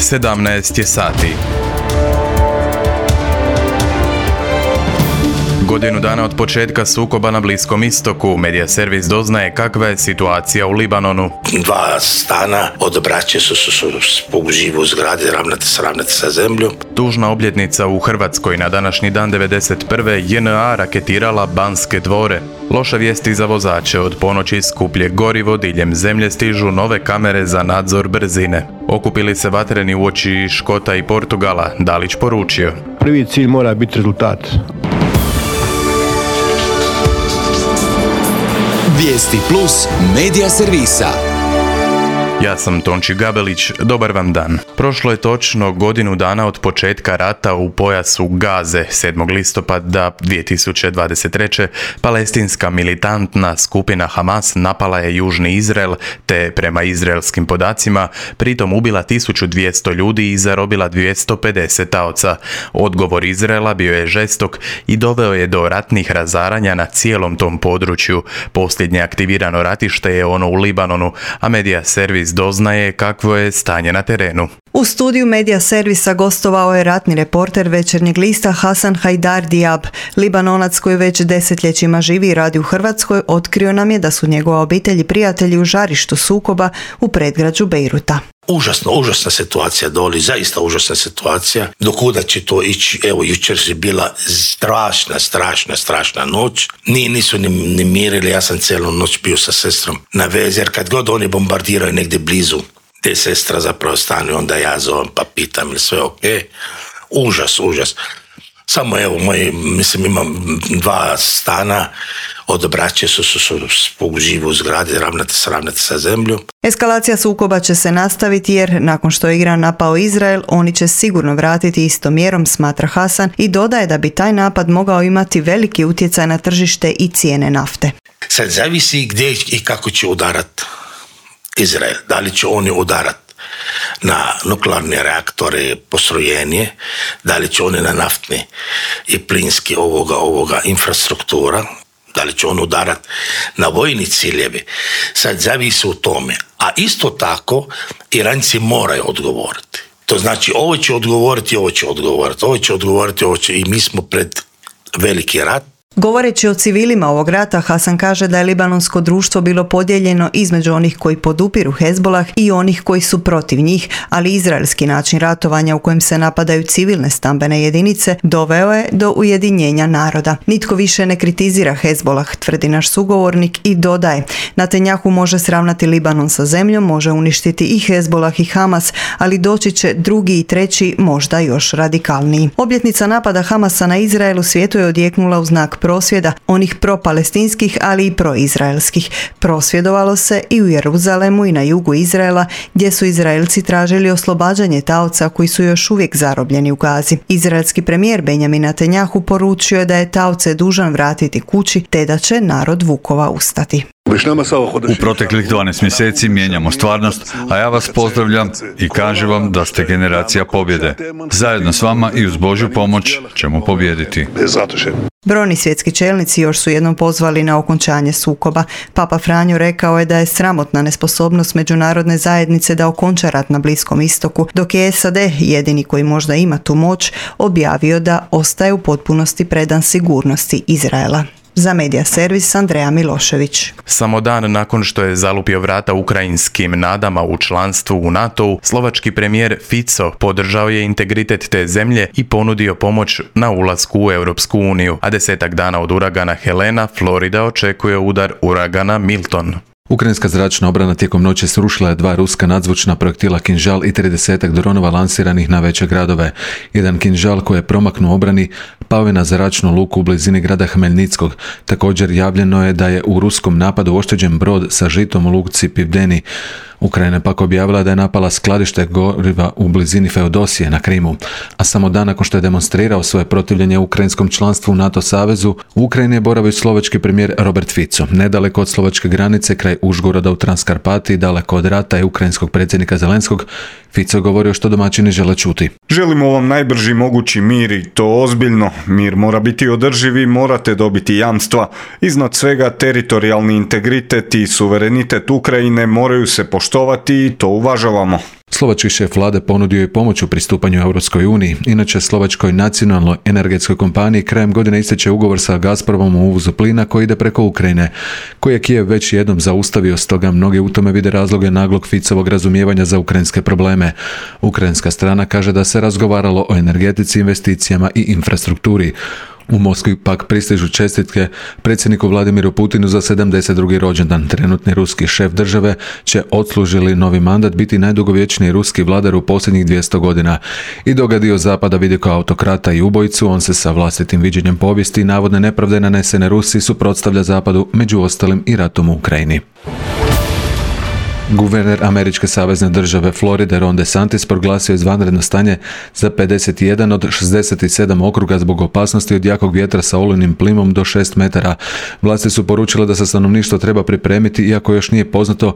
17 je sati. Godinu dana od početka sukoba na Bliskom istoku, Medija servis doznaje kakva je situacija u Libanonu. 2 stana od braće su živu u zgradi, ravnati sa zemljom. Tužna obljetnica u Hrvatskoj. Na današnji dan 1991. JNA raketirala Banske dvore. Loša vijesti za vozače. Od ponoći skuplje gorivo, diljem zemlje stižu nove kamere za nadzor brzine. Okupili se vatreni uoči Škota i Portugala, Dalić poručio. Prvi cilj mora biti rezultat. Vijesti plus Medija servisa. Ja sam Tonči Gabelić, dobar vam dan. Prošlo je točno godinu dana od početka rata u pojasu Gaze. 7. listopada 2023. palestinska militantna skupina Hamas napala je južni Izrael, te prema izraelskim podacima pritom ubila 1200 ljudi i zarobila 250 taoca. Odgovor Izraela bio je žestok i doveo je do ratnih razaranja na cijelom tom području. Posljednje aktivirano ratište je ono u Libanonu, a Medija servis doznaje kakvo je stanje na terenu. U studiju Medija servisa gostovao je ratni reporter Večernjeg lista Hasan Hajdar Diab. Libanonac koji već desetljećima živi i radi u Hrvatskoj otkrio nam je da su njegova obitelj i prijatelji u žarištu sukoba u predgrađu Bejruta. Užasna situacija doli, zaista užasna situacija. Do kuda će to ići? Evo, jučer je bila strašna noć. Nisu ni mirili, ja sam cijelu noć bio sa sestrom na vezi, jer kad god oni bombardiraju negdje blizu, te sestra zapravo stane, onda ja zovem pa pitam ili sve ok. Užas. Samo evo, imam 2 stana od braće su živu u zgradi, ravnati sa zemljom. Eskalacija sukoba će se nastaviti jer nakon što je Iran napao Izrael, oni će sigurno vratiti istom mjerom, smatra Hasan, i dodaje da bi taj napad mogao imati veliki utjecaj na tržište i cijene nafte. Sad zavisi gdje i kako će udarat Izrael. Da li će oni udarat na nuklearne reaktore, postrojenje, da li će oni na naftne i plinske ovoga infrastruktura, da li će on udarat na vojni ciljevi. Sad zavisi u tome. A isto tako Iranci moraju odgovoriti. To znači ovo će odgovoriti i mi smo pred veliki rat. Govoreći o civilima ovog rata, Hasan kaže da je libanonsko društvo bilo podijeljeno između onih koji podupiru Hezbolah i onih koji su protiv njih, ali izraelski način ratovanja u kojem se napadaju civilne stambene jedinice doveo je do ujedinjenja naroda. Nitko više ne kritizira Hezbolah, tvrdi naš sugovornik i dodaje: Netanjahu može sravnati Libanon sa zemljom, može uništiti i Hezbolah i Hamas, ali doći će drugi i treći, možda još radikalniji. Obljetnica napada Hamasa na Izrael u svijetu je odjeknula u znak prosvjeda, onih pro-palestinskih, ali i pro-izraelskih. Prosvjedovalo se i u Jeruzalemu i na jugu Izraela, gdje su Izraelci tražili oslobađanje taoca koji su još uvijek zarobljeni u Gazi. Izraelski premijer Benjamin Netanjahu poručio je da je taoce dužan vratiti kući, te da će narod vukova ustati. U proteklih 12 mjeseci mijenjamo stvarnost, a ja vas pozdravljam i kažem vam da ste generacija pobjede. Zajedno s vama i uz Božju pomoć ćemo pobijediti. Brojni svjetski čelnici još su jednom pozvali na okončanje sukoba. Papa Franjo rekao je da je sramotna nesposobnost međunarodne zajednice da okonča rat na Bliskom istoku, dok je SAD, jedini koji možda ima tu moć, objavio da ostaje u potpunosti predan sigurnosti Izraela. Za Medija servis Andreja Milošević. Samo dan nakon što je zalupio vrata ukrajinskim nadama u članstvu u NATO-u, slovački premijer Fico podržao je integritet te zemlje i ponudio pomoć na ulasku u Europsku uniju, a 10 dana od uragana Helena, Florida očekuje udar uragana Milton. Ukrajinska zračna obrana tijekom noći srušila je 2 ruska nadzvučna projektila Kinžal i 30 dronova lansiranih na veće gradove. Jedan Kinžal koji je promaknuo obrani pao je na zračnu luku u blizini grada Hmelnickog. Također javljeno je da je u ruskom napadu oštećen brod sa žitom u luci Pivdeni. Ukrajina pak objavila da je napala skladište goriva u blizini Feodosije na Krimu, a samo dan nakon što je demonstrirao svoje protivljenje ukrajinskom članstvu u NATO savezu, u Ukrajini je boravio slovački premijer Robert Fico. Nedaleko od slovačke granice, kraj Užgoroda u Transkarpatiji, daleko od rata i ukrajinskog predsjednika Zelenskog, Fico je govorio što domaćini žele čuti. Želimo vam najbrži mogući mir i to ozbiljno. Mir mora biti održiv i morate dobiti jamstva. Iznad svega teritorijalni integritet i suverenitet Ukrajine moraju se poštovati i to uvažavamo. Slovački šef vlade ponudio je pomoć u pristupanju Europskoj uniji. Inače, slovačkoj nacionalnoj energetskoj kompaniji krajem godine ističe ugovor sa Gazpromom o uvozu plina koji ide preko Ukrajine, koji je Kijev već jednom zaustavio, stoga mnogi u tome vide razloge naglog Ficovog razumijevanja za ukrajinske probleme. Ukrajinska strana kaže da se razgovaralo o energetici, investicijama i infrastrukturi. U Moskvi pak pristižu čestitke predsjedniku Vladimiru Putinu za 72. rođendan. Trenutni ruski šef države će odslužili novi mandat biti najdugovječniji ruski vladar u posljednjih 200 godina. I dok ga dio zapada vidi kao autokrata i ubojicu, on se sa vlastitim viđenjem povijesti i navodne nepravde nanesene Rusiji suprotstavlja zapadu, među ostalim i ratom u Ukrajini. Guverner američke savezne države Floride Ron DeSantis proglasio izvanredno stanje za 51 od 67 okruga zbog opasnosti od jakog vjetra sa olujnim plimom do 6 metara. Vlasti su poručile da se stanovništvo treba pripremiti, iako još nije poznato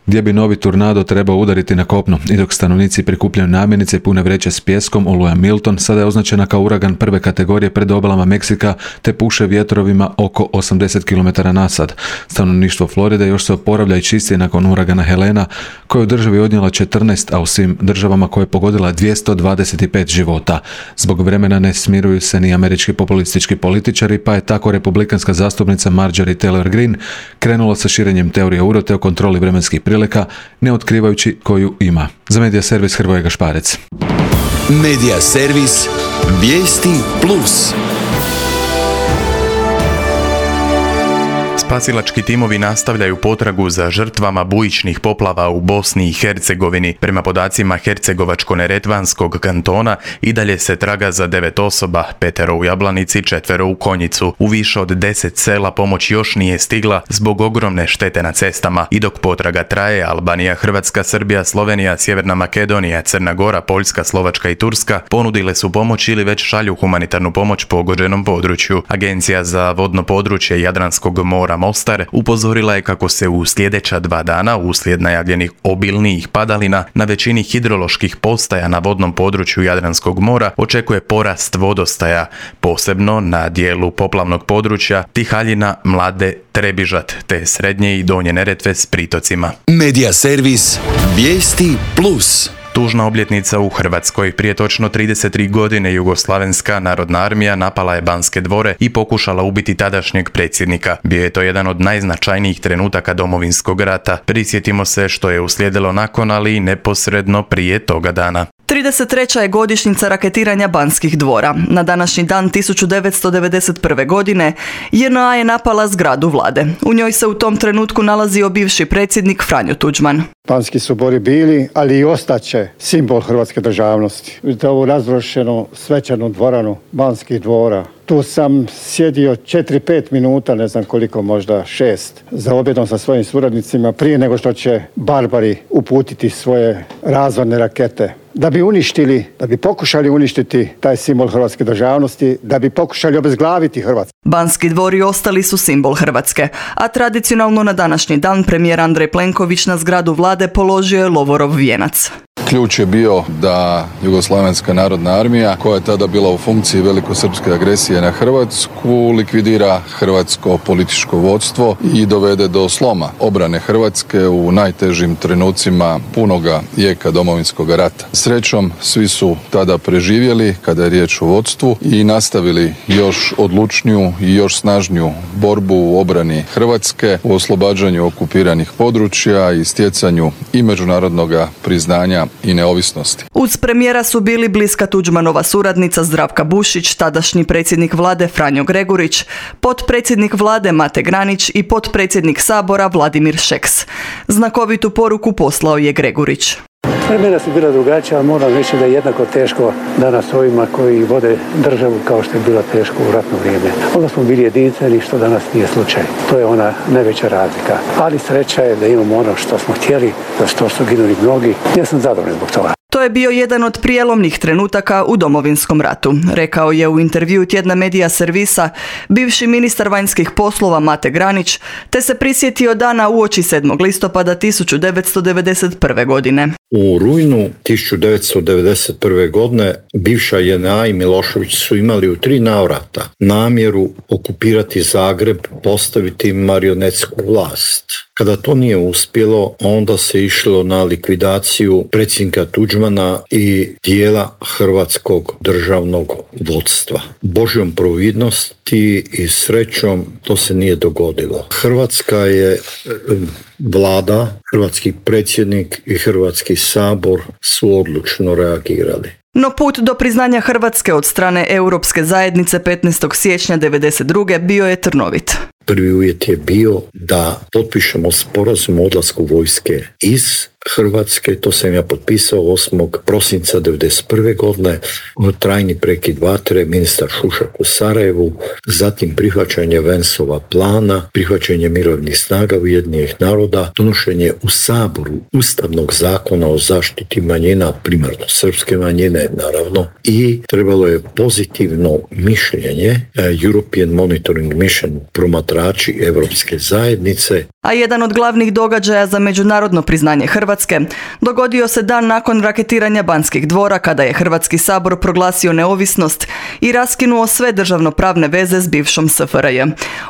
gdje bi novi tornado trebao udariti na kopno. I dok stanovnici prikupljaju namirnice i pune vreće s pijeskom, oluja Milton sada je označena kao uragan prve kategorije pred obalama Meksika te puše vjetrovima oko 80 km na sat. Stanovništvo Floride još se oporavlja i čisti nakon uragana Helena, koja je u državi odnijela 14, a u svim državama koje je pogodila 225 života. Zbog vremena ne smiruju se ni američki populistički političari, pa je tako republikanska zastupnica Marjorie Taylor Greene krenula sa širenjem teorije urote o kontroli vremenskih prilika, ne otkrivajući koju ima. Za Medija servis Hrvoje Gašparec. Medija servis Vijesti Plus. Spasilački timovi nastavljaju potragu za žrtvama bujičnih poplava u Bosni i Hercegovini. Prema podacima Hercegovačko-neretvanskog kantona i dalje se traga za 9 osoba, 5 u Jablanici, 4 u Konjicu. U više od 10 sela pomoć još nije stigla zbog ogromne štete na cestama. I dok potraga traje, Albanija, Hrvatska, Srbija, Slovenija, Sjeverna Makedonija, Crna Gora, Poljska, Slovačka i Turska ponudile su pomoć ili već šalju humanitarnu pomoć pogođenom području. Agencija za vodno područje Jadranskog mora Mostar upozorila je kako se u sljedeća 2 dana uslijed najavljenih obilnijih padalina na većini hidroloških postaja na vodnom području Jadranskog mora očekuje porast vodostaja, posebno na dijelu poplavnog područja Tihaljina, Mlade, Trebižat te srednje i donje Neretve s pritocima. Medija servis Vijesti Plus. Tužna obljetnica u Hrvatskoj. Prije točno 33 godine Jugoslavenska narodna armija napala je Banske dvore i pokušala ubiti tadašnjeg predsjednika. Bio je to jedan od najznačajnijih trenutaka Domovinskog rata. Prisjetimo se što je uslijedilo nakon, ali i neposredno prije toga dana. 33. je godišnjica raketiranja Banskih dvora. Na današnji dan 1991. godine JNA je napala zgradu vlade. U njoj se u tom trenutku nalazio bivši predsjednik Franjo Tuđman. Banski su dvori bili, ali i ostaće simbol hrvatske državnosti. Za ovu razrušenu svečanu dvoranu Banskih dvora. Tu sam sjedio 4-5 minuta, ne znam koliko, možda 6, za objedom sa svojim suradnicima prije nego što će barbari uputiti svoje razorne rakete. Da bi pokušali uništiti taj simbol hrvatske državnosti, da bi pokušali obezglaviti Hrvatsku. Banski dvori ostali su simbol Hrvatske, a tradicionalno na današnji dan premijer Andrej Plenković na zgradu vlade položio je lovorov vijenac. Ključ je bio da Jugoslavenska narodna armija, koja je tada bila u funkciji velikosrpske agresije na Hrvatsku, likvidira hrvatsko političko vodstvo i dovede do sloma obrane Hrvatske u najtežim trenucima punoga jeka Domovinskog rata. Srećom, svi su tada preživjeli kada je riječ o vodstvu i nastavili još odlučniju i još snažniju borbu u obrani Hrvatske, u oslobađanju okupiranih područja i stjecanju i međunarodnog priznanja i neovisnosti. Uz premijera su bili bliska Tuđmanova suradnica Zdravka Bušić, tadašnji predsjednik vlade Franjo Gregurić, potpredsjednik vlade Mate Granić i potpredsjednik Sabora Vladimir Šeks. Znakovitu poruku poslao je Gregurić. Vremena su bila drugačija, ali moram reći da je jednako teško danas ovima koji vode državu kao što je bilo teško u ratno vrijeme. Onda smo bili jedinstveni, što danas nije slučaj. To je ona najveća razlika. Ali sreća je da imamo ono što smo htjeli, za što su ginuli mnogi. Ja sam zadovoljan zbog toga. To je bio jedan od prijelomnih trenutaka u Domovinskom ratu, rekao je u intervjuu tjedna Medija servisa bivši ministar vanjskih poslova Mate Granić, te se prisjetio dana uoči 7. listopada 1991. godine. U rujnu 1991. godine bivša JNA i Milošević su imali u 3 navrata namjeru okupirati Zagreb, postaviti marionetsku vlast. Kada to nije uspjelo, onda se išlo na likvidaciju predsjednika Tuđmana i dijela hrvatskog državnog vodstva. Božjom providnosti i srećom to se nije dogodilo. Hrvatska je vlada, hrvatski predsjednik i Hrvatski sabor su odlučno reagirali. No put do priznanja Hrvatske od strane Europske zajednice 15. siječnja 1992. bio je trnovit. Prvi uvjet je bio da potpišemo sporazum o odlasku vojske iz Hrvatske, to sam ja potpisao 8. prosinca 1991. godine, trajni prekid vatre, ministar Šušak u Sarajevu, zatim prihvaćanje Vensova plana, prihvaćanje mirovnih snaga Ujedinjenih naroda, donošenje u Saboru Ustavnog zakona o zaštiti manjina, primarno srpske manjine naravno, i trebalo je pozitivno mišljenje European Monitoring Mission, promatrači Europske zajednice. A jedan od glavnih događaja za međunarodno priznanje Hrvatske dogodio se dan nakon raketiranja Banskih dvora, kada je Hrvatski sabor proglasio neovisnost i raskinuo sve državnopravne veze s bivšom SFRJ.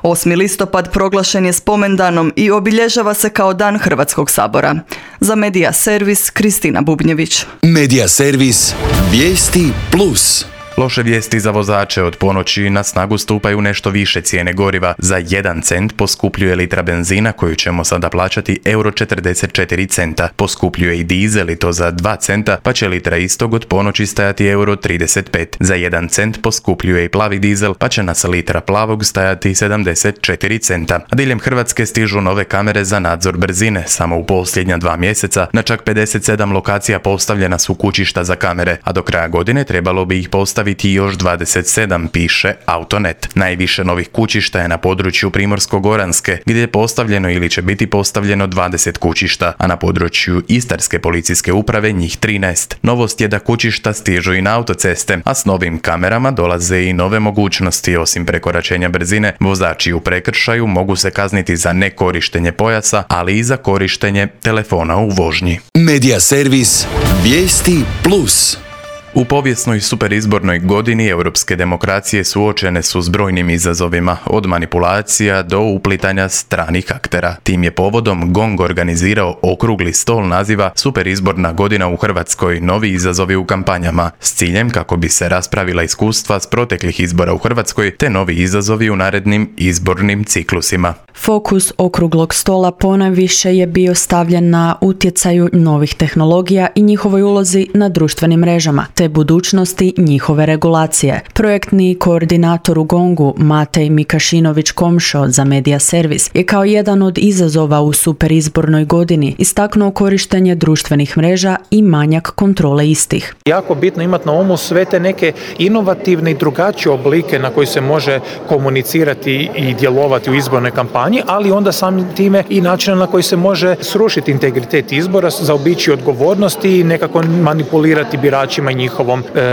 8. listopad proglašen je spomendanom i obilježava se kao dan Hrvatskog sabora. Za Medija Servis, Kristina Bubnjević. Medija Servis, vijesti plus. Loše vijesti za vozače. Od ponoći na snagu stupaju nešto više cijene goriva. Za 1 cent poskupljuje litra benzina koju ćemo sada plaćati €44. Poskupljuje i dizel i to za 2 centa, pa će litra istog od ponoći stajati €35. Za 1 cent poskupljuje i plavi dizel, pa će nas litra plavog stajati 74 centa. A diljem Hrvatske stižu nove kamere za nadzor brzine. Samo u posljednja 2 mjeseca na čak 57 lokacija postavljena su kućišta za kamere, a do kraja godine trebalo bi ih postaviti još 27, piše Autonet. Najviše novih kućišta je na području Primorsko-goranske, gdje je postavljeno ili će biti postavljeno 20 kućišta, a na području Istarske policijske uprave njih 13. Novost je da kućišta stižu i na autoceste, a s novim kamerama dolaze i nove mogućnosti. Osim prekoračenja brzine, vozači u prekršaju mogu se kazniti za nekorištenje pojasa, ali i za korištenje telefona u vožnji. Medija Servis, vijesti plus. U povijesnoj superizbornoj godini europske demokracije suočene su s brojnim izazovima, od manipulacija do uplitanja stranih aktera. Tim je povodom GONG organizirao okrugli stol naziva Superizborna godina u Hrvatskoj, novi izazovi u kampanjama, s ciljem kako bi se raspravila iskustva s proteklih izbora u Hrvatskoj te novi izazovi u narednim izbornim ciklusima. Fokus okruglog stola ponajviše je bio stavljen na utjecaju novih tehnologija i njihovoj ulozi na društvenim mrežama, te budućnosti njihove regulacije. Projektni koordinator u GONG-u Matej Mikašinović-Komšo za Medija Servis je kao jedan od izazova u superizbornoj godini istaknuo korištenje društvenih mreža i manjak kontrole istih. Jako bitno imati na umu sve te neke inovativne i drugačije oblike na koji se može komunicirati i djelovati u izbornoj kampanji, ali onda samim time i način na koji se može srušiti integritet izbora, zaobići odgovornosti i nekako manipulirati biračima i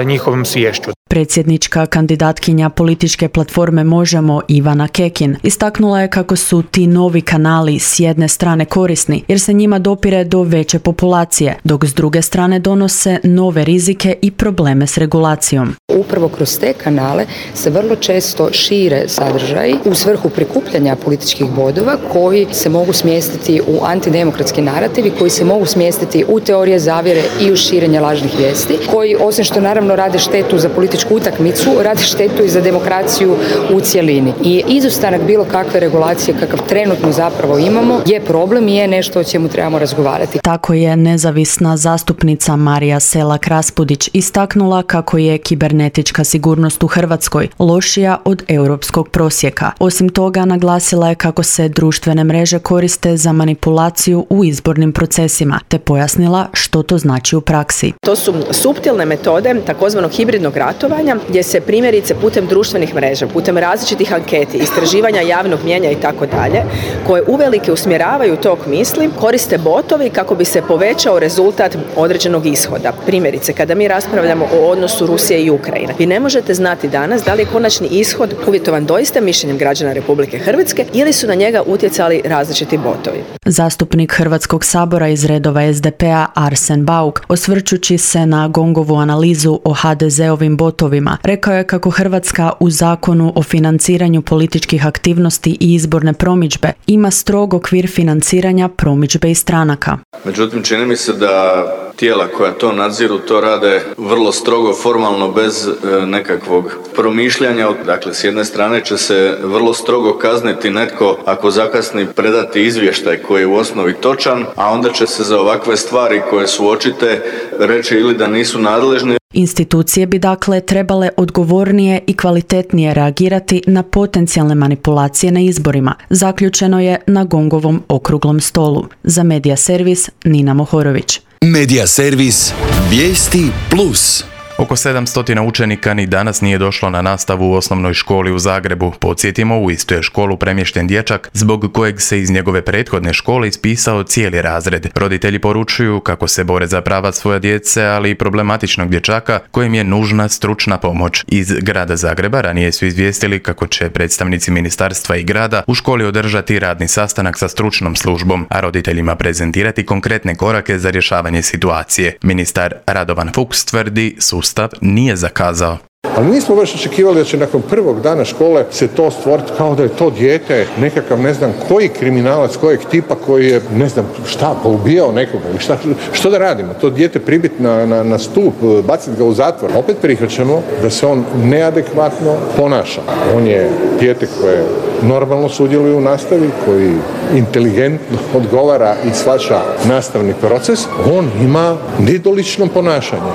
njihovom sviješću. Predsjednička kandidatkinja političke platforme Možemo Ivana Kekin istaknula je kako su ti novi kanali s jedne strane korisni jer se njima dopire do veće populacije, dok s druge strane donose nove rizike i probleme s regulacijom. Upravo kroz te kanale se vrlo često šire sadržaji u svrhu prikupljanja političkih bodova koji se mogu smjestiti u antidemokratski narativi, koji se mogu smjestiti u teorije zavjere i u širenje lažnih vijesti, koji osim što naravno rade štetu za političku utakmicu, rade štetu i za demokraciju u cjelini. I izostanak bilo kakve regulacije kakav trenutno zapravo imamo je problem i je nešto o čemu trebamo razgovarati. Tako je nezavisna zastupnica Marija Selak-Raspudić istaknula kako je kibernetička sigurnost u Hrvatskoj lošija od europskog prosjeka. Osim toga, naglasila je kako se društvene mreže koriste za manipulaciju u izbornim procesima, te pojasnila što to znači u praksi. To su suptilne metode takozvanog hibridnog ratovanja djelovanja gdje se primjerice putem društvenih mreža, putem različitih anketi, istraživanja javnog mnijenja i tako dalje, koje uvelike usmjeravaju tok misli, koriste botovi kako bi se povećao rezultat određenog ishoda. Primjerice, kada mi raspravljamo o odnosu Rusije i Ukrajine, vi ne možete znati danas da li je konačni ishod uvjetovan doista mišljenjem građana Republike Hrvatske ili su na njega utjecali različiti botovi. Zastupnik Hrvatskog sabora iz redova SDP-a Arsen Bauk, osvrćući se na GONG-ovu analizu o HDZ-ovim botovima, rekao je kako Hrvatska u Zakonu o financiranju političkih aktivnosti i izborne promidžbe ima strog okvir financiranja promidžbe i stranaka. Međutim, čini mi se da tijela koja to nadziru to rade vrlo strogo, formalno, bez nekakvog promišljanja. Dakle, s jedne strane će se vrlo strogo kazniti netko ako zakasni predati izvještaj koji je u osnovi točan, a onda će se za ovakve stvari koje su očite reći ili da nisu nadležni. Institucije bi dakle trebale odgovornije i kvalitetnije reagirati na potencijalne manipulacije na izborima, zaključeno je na GONG-ovom okruglom stolu. Za Medija servis Nina Mohorović. Medija servis Vijesti Plus. Oko 700 učenika ni danas nije došlo na nastavu u osnovnoj školi u Zagrebu. Podsjetimo, u istu je školu premješten dječak zbog kojeg se iz njegove prethodne škole ispisao cijeli razred. Roditelji poručuju kako se bore za prava svoje djece, ali i problematičnog dječaka kojem je nužna stručna pomoć. Iz grada Zagreba ranije su izvijestili kako će predstavnici ministarstva i grada u školi održati radni sastanak sa stručnom službom, a roditeljima prezentirati konkretne korake za rješavanje situacije. Ministar Radovan Fuchs tvrdi sustav nije zakazao. Ali nismo baš očekivali da će nakon prvog dana škole se to stvoriti kao da je to dijete nekakav ne znam koji kriminalac, kojeg tipa koji je ne znam šta, poubijao nekoga ili što da radimo? To dijete pribiti na stup, baciti ga u zatvor. Opet prihvaćamo da se on neadekvatno ponaša. On je dijete koje normalno sudjeluje u nastavi, koji inteligentno odgovara i shvaća nastavni proces. On ima nedolično ponašanje.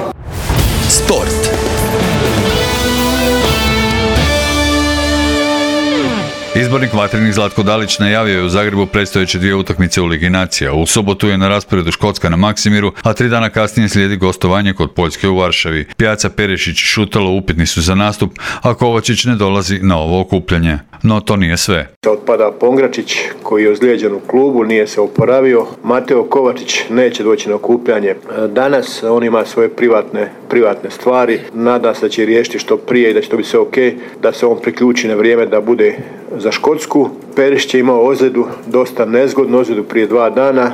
Sport. Izbornik Vatrenih Zlatko Dalić najavio je u Zagrebu predstojeće 2 utakmice u Ligi nacija. U subotu je na rasporedu Škotska na Maksimiru, a 3 dana kasnije slijedi gostovanje kod Poljske u Varšavi. Pjaca, Perešić i Šutalo upitni su za nastup, a Kovačić ne dolazi na ovo okupljanje. No to nije sve. Otpada Pongračić koji je ozlijeđen u klubu, nije se oporavio. Mateo Kovačić neće doći na okupljanje danas, on ima svoje privatne stvari. Nada se da će riješiti što prije i da će to biti sve ok, da se on priključi na vrijeme da bude za Škotsku. Perišić je imao ozljedu, dosta nezgodnu ozljedu prije 2 dana.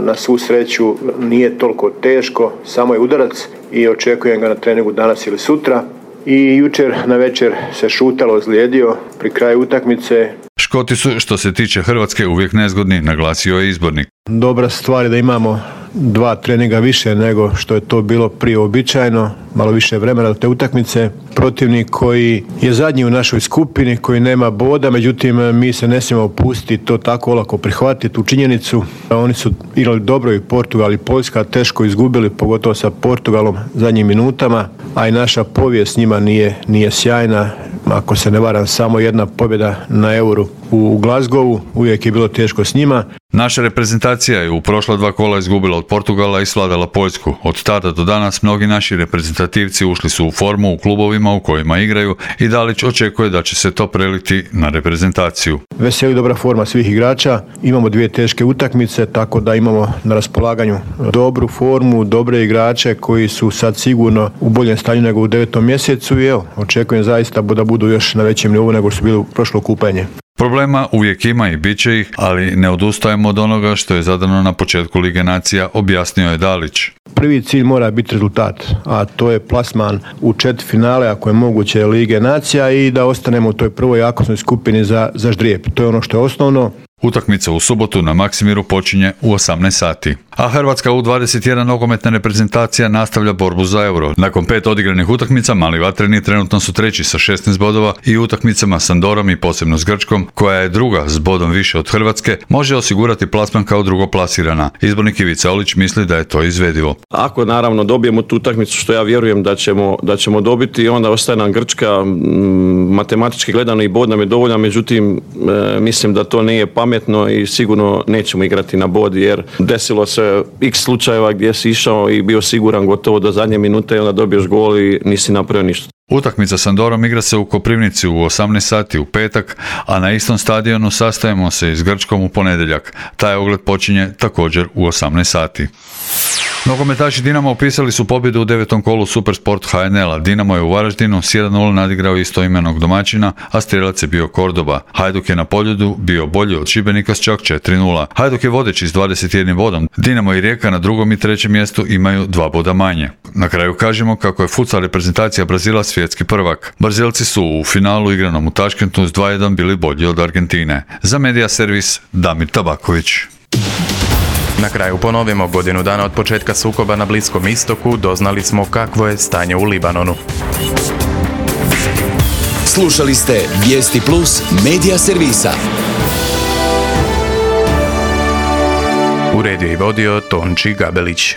Na svu sreću nije toliko teško, samo je udarac i očekujem ga na treningu danas ili sutra. I jučer na večer se Šutalo ozlijedio pri kraju utakmice. Škoti su, što se tiče Hrvatske, uvijek nezgodni, naglasio je izbornik. Dobra stvar je da imamo 2 treninga više nego što je to bilo prije uobičajeno, malo više vremena do te utakmice. Protivnik koji je zadnji u našoj skupini, koji nema boda, međutim mi se ne smijemo opustiti, to tako olako prihvatiti tu činjenicu. Oni su igrali dobro i Portugal i Poljska, teško izgubili, pogotovo sa Portugalom zadnjim minutama, a i naša povijest njima nije sjajna. Ako se ne varam, samo 1 pobjeda na Euru u Glasgowu, uvijek je bilo teško s njima. Naša reprezentacija je u prošla 2 kola izgubila od Portugala i svladala Poljsku. Od tada do danas mnogi naši reprezentativci ušli su u formu u klubovima u kojima igraju i Dalić očekuje da će se to preliti na reprezentaciju. Veseli dobra forma svih igrača, imamo 2 teške utakmice, tako da imamo na raspolaganju dobru formu, dobre igrače koji su sad sigurno u boljem stanju nego u 9. mjesecu i evo, očekujem zaista da budu još na većem nivou nego što su bili u prošlo okupljanje. Problema uvijek ima i bit će ih, ali ne odustajemo od onoga što je zadano na početku Lige nacija, objasnio je Dalić. Prvi cilj mora biti rezultat, a to je plasman u četvrtfinale, ako je moguće, Lige nacija i da ostanemo u toj prvoj jakosnoj skupini za ždrijeb. To je ono što je osnovno. Utakmica u subotu na Maksimiru počinje u 18 sati. A Hrvatska U21 nogometna reprezentacija nastavlja borbu za Euro. Nakon 5 odigranih utakmica, mali vatreni trenutno su 3. sa 16 bodova i utakmicama s Andorom i posebno s Grčkom, koja je 2. s bodom više od Hrvatske, može osigurati plasman kao drugoplasirana. Izbornik Ivica Olić misli da je to izvedivo. Ako naravno dobijemo tu utakmicu, što ja vjerujem da ćemo dobiti, onda ostaje nam Grčka, matematički gledano i bod nam je dovoljan, međutim mislim da to nije pametno i sigurno nećemo igrati na bod, jer desilo se x slučajeva gdje si išao i bio siguran gotovo do zadnje minute i onda dobiješ gol i nisi napravio ništa. Utakmica s Andorom igra se u Koprivnici u 18 sati u petak, a na istom stadionu sastajemo se i s Grčkom u ponedjeljak. Taj ogled počinje također u 18 sati. Nogometaši Dinama upisali su pobjedu u 9. kolu Supersport HNL-a. Dinamo je u Varaždinu s 1:0 nadigrao istoimenog domaćina, a strijelac je bio Kordoba. Hajduk je na Poljudu bio bolji od Šibenika s čak 4:0. Hajduk je vodeći s 21 bodom. Dinamo i Rijeka na 2. i 3. mjestu imaju 2 boda manje. Na kraju kažemo kako je futsal reprezentacija Brazila svjetski prvak. Brazilci su u finalu igranom u Taškentu s 2:1 bili bolji od Argentine. Za Media Servis Damir Tabaković. Na kraju ponovimo, godinu dana od početka sukoba na Bliskom istoku doznali smo kakvo je stanje u Libanonu. Slušali ste Vijesti Plus Media Servisa. Uredio i vodio Tonči Gabelić.